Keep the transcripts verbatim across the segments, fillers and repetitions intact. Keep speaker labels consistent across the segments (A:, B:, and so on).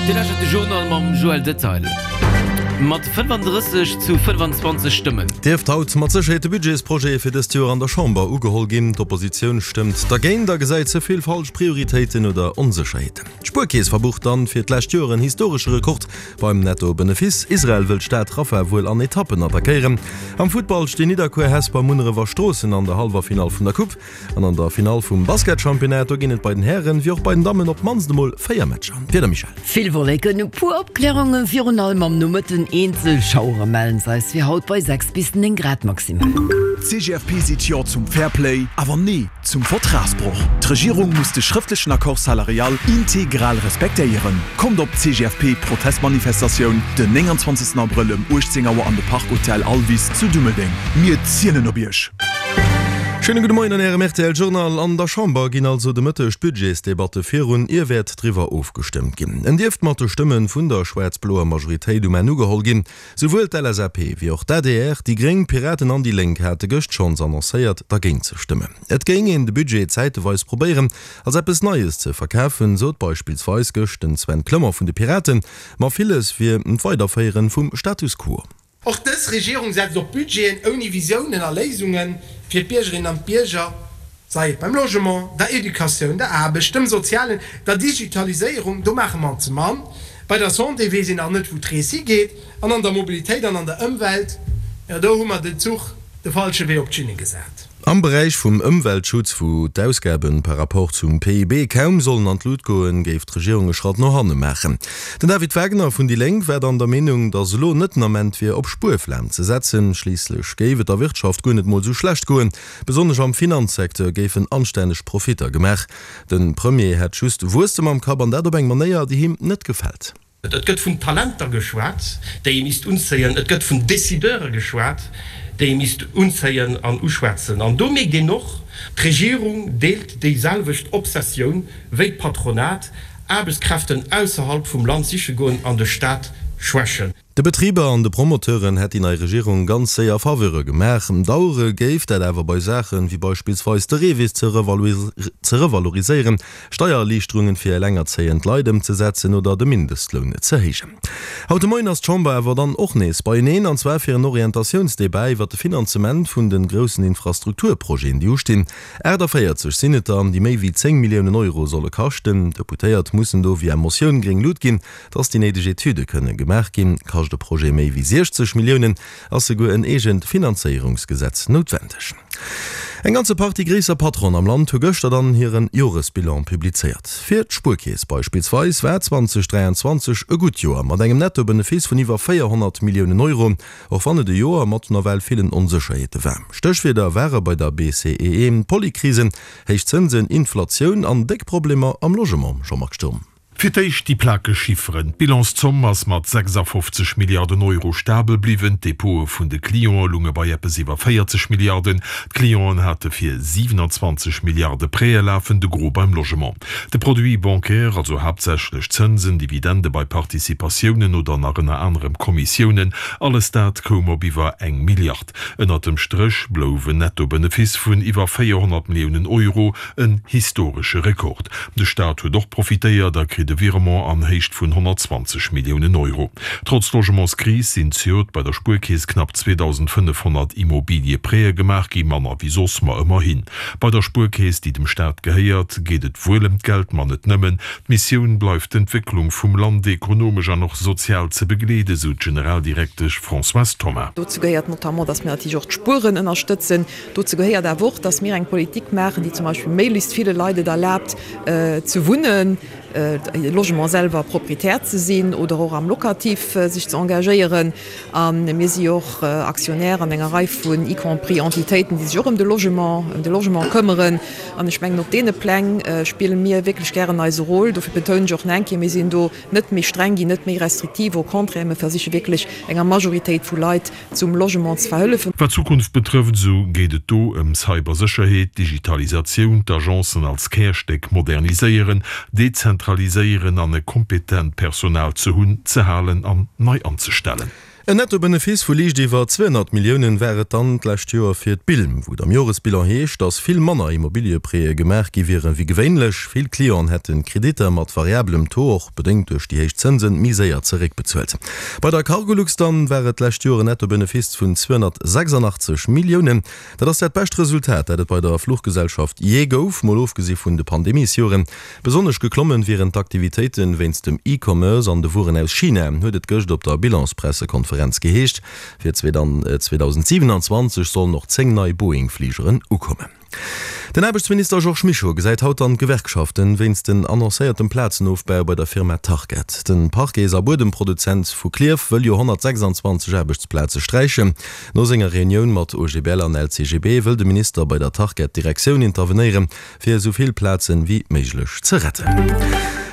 A: Dir lauschtert de Journal mam Joël Detaille. Mat fënnefandrësseg zu fënnefenzwanzeg Stëmmen.
B: Dierft haut mat Sécherheet de Budgetsprojet fir dëst Joer an der Chamber ugeholl ginn. D'Oppositioun stëmmt dergéint a gesäit ze vill falsch Prioritéiten oder Onsécherheeten. D'Spuerkeess verbucht dann fir d'lescht Joer en historesche Rekord beim Netto-Benefice. Israel wëll d'Stad Rafah wuel an Etappen attackéieren. Am Futtball stinn Nidderkuer, Hesper, Munneref a Stroossen an der hallwer Finall vun der Coupe. An an der Finall vum Basketchampionnat, do ginn et bei den Hären wéi och bei den Dammen op d'mannst emol véier Matcher. Wieder Michèle.
C: Vill Wolleken, e puer Opklärungen, virun allem am Nomëtten eenzel Schauere mellen se eis fir haut bei sechs bis néng Grad maximal.
D: D'C G F P seet Jo zum Fairplay, awer Nee zum Vertragsbroch. D'Regierung muss de schrëftlechen Accord salarial integral respektéieren. Kommt op d'C G F P Protestmanifestatioun den nénganzwanzegsten Abrëll ëm uechtzéng Auer an de Park Hotel Alvis zu Dummeldeng. Mir zielen op Iech!
B: Schéine gudde Moien an Ärem R T L Journal. An der Chamber ginn also de Mëtteg d'Budgetsdebatte virun, ier wäert driwwer ofgestëmmt ginn. En dierft mat de Stëmme vun der schwaarz-bloer Majoritéit um Enn ugeholl ginn. Souwuel d'L S A P wéi och d'A D R, déi Gréng, d'Piraten an déi Lénk hate gëscht schonns annoncéiert, dergéint ze stëmmen. Et géing een de Budget zäiteweis probéieren, als eppes Neies ze verkafen, sot beispillsweis gëscht den Sven Clement vun de Piraten, ma villes wier d'Weiderféiere vum Status quo.
E: Och dës Regierung setzt op Budgeten ouni Visiounen a Léisunge fir d'Biergerinnen an d'Bierger, sei et beim Logement, der Educatioun, der Aarbecht, dem Sozialen, der Digitaliséierung, do maache mer ze mann, bei der Santé weess een nach net, wou d'Rees higeet, an an der Mobilitéit an an der Ëmwelt, jo, do hu mer den Zuch de falsche Wee op d'Schinne gesat.
B: Am Beräich vum Ëmweltschutz, wou d'Ausgabe par rapport zum P I B kaum sollen an d'Lut goen, géif d'Regierung e Schratt no hanne maachen. Den David Wagner vun déi Lénk war dann der Meenung, datt elo net den Ament wier, op Spuerflam ze setzen. Schliisslech géif et der Wirtschaft guer net mol sou schlecht goen. Besonnesch am Finanzsecteur géifen anstänneg Profitter gemaach. De Premier hätt just Wuesstem am Kapp an dat op eng Manéier, déi him net gefält.
F: Et gëtt vun Talenter geschwat, déi ee misst unzéien. Et gëtt vun Decideure geschwat, déi ee misst unzéien an uschwätzen. An do mierkt een och, d'Regierung deelt déiselwecht Obsessioun wéi d'Patronat, Aarbechtskräften ausserhalb vum Land siche goen an de Staat schwächen.
B: De Betriber an de Promoteuren hätt déi nei Regierung ganz séier Faveure gemaach. Dauere géif dat awer bei Saachen, wéi beispillsweis de REVIS ze revaloriséieren, Steiererliichterungen fir elengerzéiend Leit ëmzesetzen oder de Mindestloun ze héijen. Haut de Moien ass d'Chamber awer dann och nees beieneen, an zwar fir en Orientatiounsdebat iwwer de Finanzement vun de groussen Infrastrukturprojeten, déi ustinn. achtannvéierzeg sinn et der, déi méi wéi zéng Milliounen Euro solle kaschten. D'Deputéiert mussen do via Motioun gréng Lut ginn, dass déi néideg Etüde kënne gemaach ginn. Kascht e Projet méi wéi siechzeg Milliounen, ass souguer en eegent Finanzéierungsgesetz noutwendeg. Eng ganze Partie gréisser Patronen am Land hu gëschter dann hiren Joresbilan publizéiert. Fir d'Spuerkeess beispillsweis war zweedausendräianzwanzeg e gutt Joer mat engem Nettobenefice vun iwwer véierhonnert Milliounen Euro, och wann et e Joer mat nawell villen Onsécherheete war. Stéchwierder ware bei der B C E E Polykrisen, héich Zënsen, Inflatioun an déck Problemer am Logement. Jean-Marc Sturm.
G: Fir d'éischt déi plakeg Chifferen, D'Bilanszomm ass mat sechsafofzeg Milliarden Euro stabel bliwwen, d'Depote vun de Cliente lounge bei eppes iwwer véierzeg Milliarden, d'Clienten hate fir siwenanzwanzeg Milliarde Prêtë lafen, de Gros beim Logement. De Produit bancaire, also haaptsächlech Zënsen, Dividende bei Participatiounen oder nach ënner anerem Kommissiounen, alles dat koum op iwwer eng Milliard. Ënnert dem Stréch blouf en Nettobenefice vun iwwer véierhonnert Milliounen Euro, en historesche Rekord. De Staat huet och profitéiert a kritt e Virement an Héicht vun honnertzwanzeg Milliounen Euro. Trotz Logementskris sinn zejoert bei der Spuerkeess knapp zweedausendfënnefhonnert Immobilieprêtë gemaach gi, manner wéi soss, ma ëmmerhin. Bei der Spuerkeess, déi dem Staat gehéiert, geet et wuel ëm d'Geld, ma net nëmmen. D'Missioun bleift d'Entwécklung vum Land ekonomesch an och sozial ze begleeden, esou d'Generaldirektesch Françoise Thoma.
H: Dozou gehéiert notamment, dass mir natierlech och d'Spueren ënnerstëtzen. Dozou gehéiert awer och, dass mir eng Politik maachen, déi zum Beispill méiglechst ville Leit et erlaabt ze wunnen, Logement selwer Proprietär ze sinn oder och am Locatif sech ze engagéieren. A mir si jo och Aktionär an enger Rei vun y compris Entitéiten, déi sech och ëm de Logement, ëm de Logement këmmeren. An ech mengen, op deene Pläng spille mir wierklech gären eise Rôle. Dofir betounen ech och nach eng Kéier, Mir sinn do net méi streng ginn, net méi restriktiv, au contraire, mir versiche wierklech enger Majoritéit vu Leit zum Logement ze verhëllefen.
G: Wat d'Zukunft betrëfft, esou geet et do ëm Cybersécherheet, Digitalisatioun, d'Agencen als Kärstéck moderniséieren, dezentraliséieren an e kompetent Personal ze hunn, ze halen an nei anzestellen.
B: En Nettobenefice vu liicht iwwer zweehonnert Milliounen war et dann d'lescht Joer fir d'Bilm, wou et am Joresbilan heescht, datt vill manner Immobilieprêtë gemaach gi wieren wéi gewéinlech. Vill Clienten hätten Kreditter mat variabelem Taux, och bedéngt duerch déi héich Zënsen, méi séier zeréckbezuelt. Bei der Cargolux dann war et d'lescht Joer en Nettobenefice vun zweehonnertsechsandachtzeg Milliounen. Dat ass dat bescht Resultat, dat et bei der Fluchgesellschaft jee gouf, mol ofgesi vun de Pandemiesjoren. Besonnesch geklommen wieren d'Aktivitéiten wéinst dem E-Commerce an de Wueren aus China, huet et gëscht op der Bilanspressekonferenz geheescht. Fir zweetausendsiewenundzwanzeg sollen och zéng nei Boeing-Fligeren ukommen. Den Aarbechtsminister Georges Mischo gesäit haut dann d'Gewerkschaften wéinst den annoncéiertem Plazenofbau bei der Firma Tarkett. Den Parquets a Buedemproduzent vu Klierf wëll jo honnertsechsandzwanzeg Aarbechtsplaze sträichen. No senger Reunioun mat O G B L an L C G B wëll de Minister bei der Tarkett-Direktioun intervenéieren, fir esou vill Plazen wéi méiglech ze retten.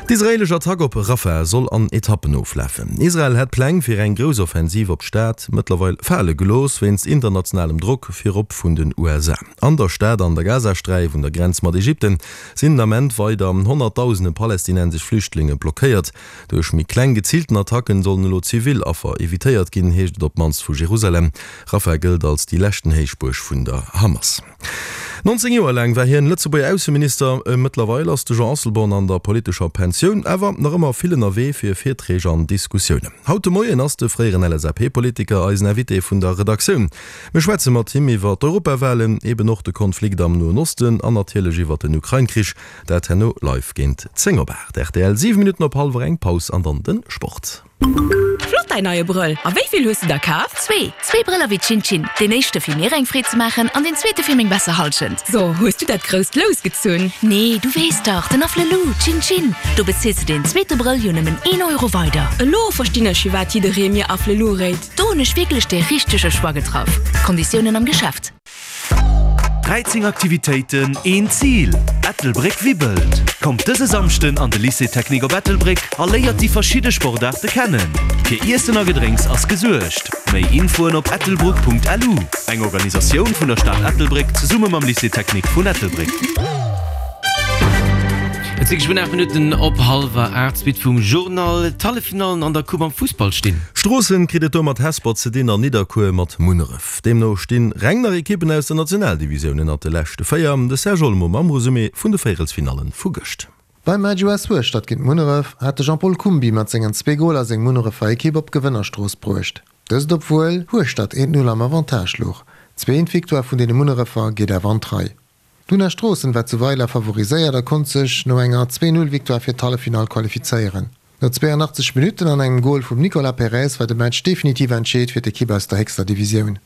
B: D'israeelesch Attack op Rafah soll an Etappen oflafen. Israel hätt d'Pläng fir eng grouss Offensiv op d'Stad mëttlerweil fale gelooss, wéinst internationalem Drock, virop vun den U S A. An der Stad an der Gazasträif un der Grenz mat Ägypten sinn den Ament weider Honnertdausende palästinensesch Flüchtlinge blockéiert. Duerch méi kleng geziilten Attacken sollen elo zivil Affer evitéiert ginn, heescht et op d'mannst vu Jerusalem. Rafah gëllt als déi leschten Héichbuerg vun der Hamas. nonzéng Joer laang war hien Lëtzebuerger Ausseminister. Mëttlerweil ass de Jean Asselborn an der politescher Pensioun, awer nach ëmmer vill ënnerwee fir Virträg an Diskussiounen. Haut de Moien ass de fréieren L S A P-Politiker eisen Invité vun der Redaktioun. Mir schwätze mat him iwwer d'Europawalen, eben och de Konflikt am Noen Osten an natierlech iwwer den Ukrain-Krich. Dat herno live géint zéng op aacht. R T L, siwe Minutten op hallwer eng. Paus an dann de Sport.
I: Flott däin neie Brëll. A wéi vill hues du der kaf?
J: Zwee. Zwee Brëller wéi Chin-Chin. Deen éischte fir mir eng Freed ze maachen an den zweete fir meng besser Hallschent.
I: So, hues du dat grousst Lous gezunn?
J: Nee, du weess dach, den Afflelou, Chin-Chin. Do bezils du den zweete Brëll jo nëmmen een Euro weider.
I: Elo verstinn ech, firwat jidderee mir Afflelou réit.
J: Do hunn ech wierklech de richtege Choix getraff. Konditiounen am Geschäft.
K: dräizéng Aktivitéiten, een Zil, Ettelbréck wibbelt! Kommt dëse Samschden an de Lycée Technique op Ettelbréck a léiert déi verschidde Sportaarte kennen. Fir Iessen a Gedrénks ass gesuergt. Méi Infoen op ettelbruck Punkt L U. Eng Organisatioun vun der Stad Ettelbréck zesumme mam Lycée Technique vun Ettelbréck.
A: Et si geschwënn aacht Minutten op hallwer aacht. Suite vum Journal, D'Halleffinallen an der Coupe am Fussball stinn.
B: Stroossen kritt et do mat Hesper ze dinn an Nidderkuer mat Munneref. Deemno stinn reng nach Ekippen aus der Nationaldivisioun ënnert de leschte véier. De Serge Olmo mam Resumé vun de Véierelsfinallen vu gëscht.
L: Beim Match U S Hueschtert géint Munneref hat de Jean-Paul Kumbi mat sengen zwee Goler seng Munnerefer Ekipp op d'Gewënnerstrooss bruecht. Dëst obwuel Hueschtert eent Null am Avantage louch. D'zweet Victoire vun deene Munnerefer geet awer an d'Rei. D'Una Stroossen war zu Weiler favoriséiert a konnt sech no enger zwee Null-Victoire fir d'Halleffinall qualifizéieren. No zweeanachtzeg Minutten an engem Gol vum Nicolas Perez war de Match definitiv entscheet fir d'Ekipp aus der héchster Divisioun.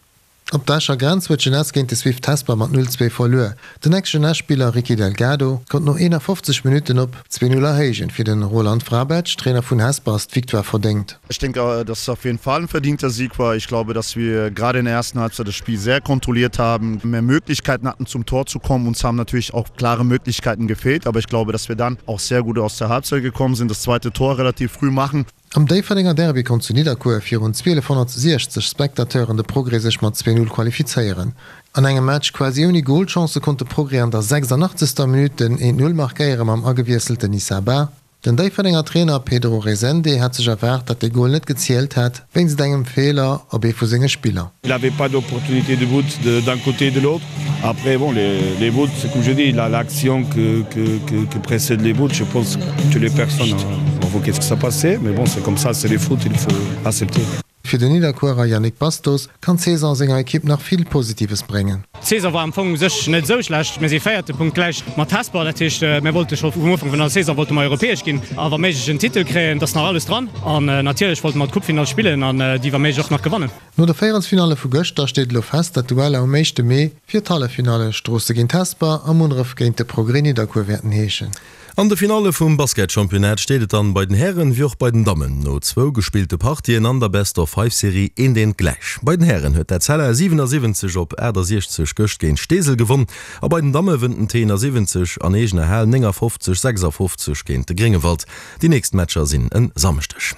L: Op der Escher Grenz huet d'Jeunesse géint de Swift Hesper mat null zwee verluer. Den Ex-Jeunesse-Spiller Ricky Delgado konnt no eenafofzeg Minutten op zwee Null erhéijen. Fir de Roland Vrabec, Trainer vun Hesper, ass d'Victoire verdéngt.
M: Ich denke, dass es auf jeden Fall ein verdienter Sieg war. Ich glaube, dass wir gerade in der ersten Halbzeit das Spiel sehr kontrolliert haben, mehr Möglichkeiten hatten, zum Tor zu kommen. Uns haben natürlich auch klare Möglichkeiten gefehlt, aber ich glaube, dass wir dann auch sehr gut aus der Halbzeit gekommen sind, das zweite Tor relativ früh machen.
L: Am Déifferdenger Derby konnt zu Nidderkuer virun zwielefhonnertsechzeg Spectateuren de Progrès sech mat zwee Null qualifizéieren. An engem Match quasi ouni Golchancë konnt de Progrès an der sechsandachtzegster Minutt den eent Null markéiere mam agewiesselten Issa Ba. Den Déifferdenger Trainer Pedro Rezende hat sech erwaart, datt de Gol net gezielt hätt, wéinst engem Feeler op ee vu senge Spiller.
N: Il n'avait pas d'opportunité de but d'un côté et de l'autre. Après, bon, les, les buts, c'est comme je dis, l'action que, que, que, que précède les buts, je pense que toutes les personnes ont vu qu'est-ce qui s'est passé. Mais bon, c'est comme ça, c'est le foot, il faut accepter.
L: Fir den Nidderkuerer Yannick Bastos kann d'Saison senger Ekipp nach vill Positives bréngen.
O: D'Saison war am Fong u sech net esou schlecht. Mir si Véierte, punktgläich mat Hesper. Dat heescht, mir wollte scho vum Ufank vun der Saison wollte mer europäesch ginn a wa méiglech en Titel kréien. Dat ass nach alles dran. An natierlech wollte mer d'Coupefinall spillen an déi wa méiglech och nach gewannen.
L: No de Véierelsfinalle vu gëschter steet elo fest, datt d'Dueller um éischte Mee fir d'Halleffinalle Stroosse géint Hesper a Munneref géint de Progrès Nidderkuer wäerten heeschen.
B: An de Finalle vum Basketchampionnat steet et dann bei den Hären wéi och bei den Dammen no zwou gespillte Partien an der Best-of-Five-Serie eent eent gläich. Bei den Hären huet d'Etzella siwenasiwwenzeg op aachtasechzeg gëscht géint Steesel gewonn a bei den Damme wënnt den T siwwenzeg an eegener Hal néngafofzeg, sechsafofzeg géint de Gréngewald. Déi nächst Matcher sinn e Samschdeg.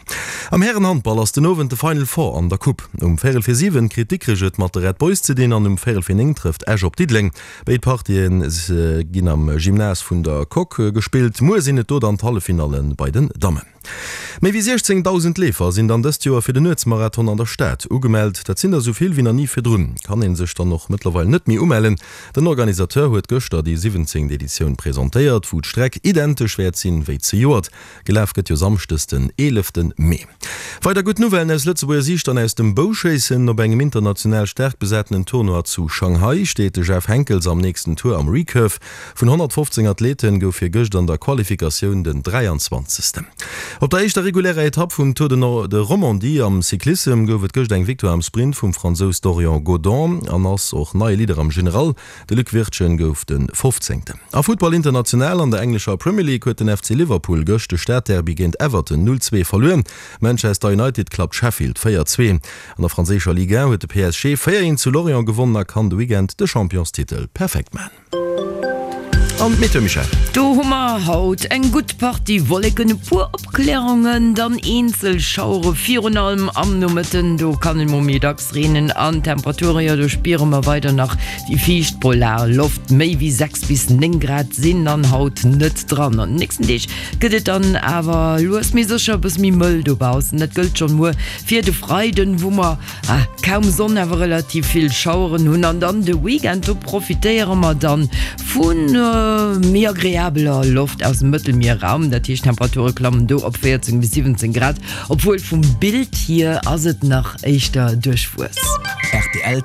B: Am Härenhandball ass den Owend de Final Four an der Coupe. Um véierel fir siwen kritt Dikrech et mat de Red Boys ze dinn an um véierel fir néng trëfft Esch op Diddeleng. Béid Partië ginn am Gymnase vun der Coque gespillt. Muer sinn et do dann d'Halleffinallen bei den Dammen. Méi wéi siechzéngdausend Leefer sinn dann dëst Joer fir den Nuetsmarathon an der Stad ugemellt. Dat sinn der esou vill wéi nach ni virdrun. Kann ee sech dann och mëttlerweil net méi umellen. Den Organisateur huet gëschter déi siwwenzéngt Editioun presentéiert, wou d'Streck identesch wäert sinn wéi zejoert. Gelaf gëtt jo samschdes den eelefte Mee. Weider gutt Nouvellen aus Lëtzebuerger Siicht an aus dem Bouschéissen. Op engem international staark besatenen Tournoi zu Shanghai steet de Jeff Henckels am nächsten Tour am Recurve. Vun honnertfofzéng Athlete gouf hie gëscht an der Qualifikatioun den dräianzwanzegsten. Op der éischter regulärer Etapp vum Tour de Romandie am Cyclissem gouf et gëscht eng Victoire am Sprint vum Fransous Dorian Godon an ass och neie Leader am General. De Luc Wirtgen gouf de fofzéngten. A Futtball international An der englescher Premier League huet den F C Liverpool gëscht de Stadderby géint Everton null zwee verluer. Manchester United klappt Sheffield véier zwee. An der franséischer Ligue un huet de P S G véier eent zu Lorient gewonnen a kann de Weekend de Championstitel perfekt man. An d'Meteo, Michèle?
C: Do hu mer haut eng gutt Partie Wolleken, e puer Opklärungen, dann eenzel Schauere virun allem am Nomëtten. Do kann et mol méi dacks reenen an d'Temperature, jo do spiere mer weider nach déi fiicht polar Loft. Méi wéi sechs bis néng Grad sinn dann haut net dran. An den nächsten Deeg gëtt et dann awer lues mee sécher e bësse méi mëll dobaussen. Dat gëllt schonn muer fir de Freiden, wou mer kaum Sonn awer relativ vill Schaueren hunn. An dann de Weekend, do profitéiere mer dann vu méi agreabeler Loft aus dem Mëttelmierraum, dat heescht d'Temperature klammen do op véierzéng bis siwwenzéng Grad, obwuel vum Bild hier ass et nach éischter duerchwuess.
P: Rtl.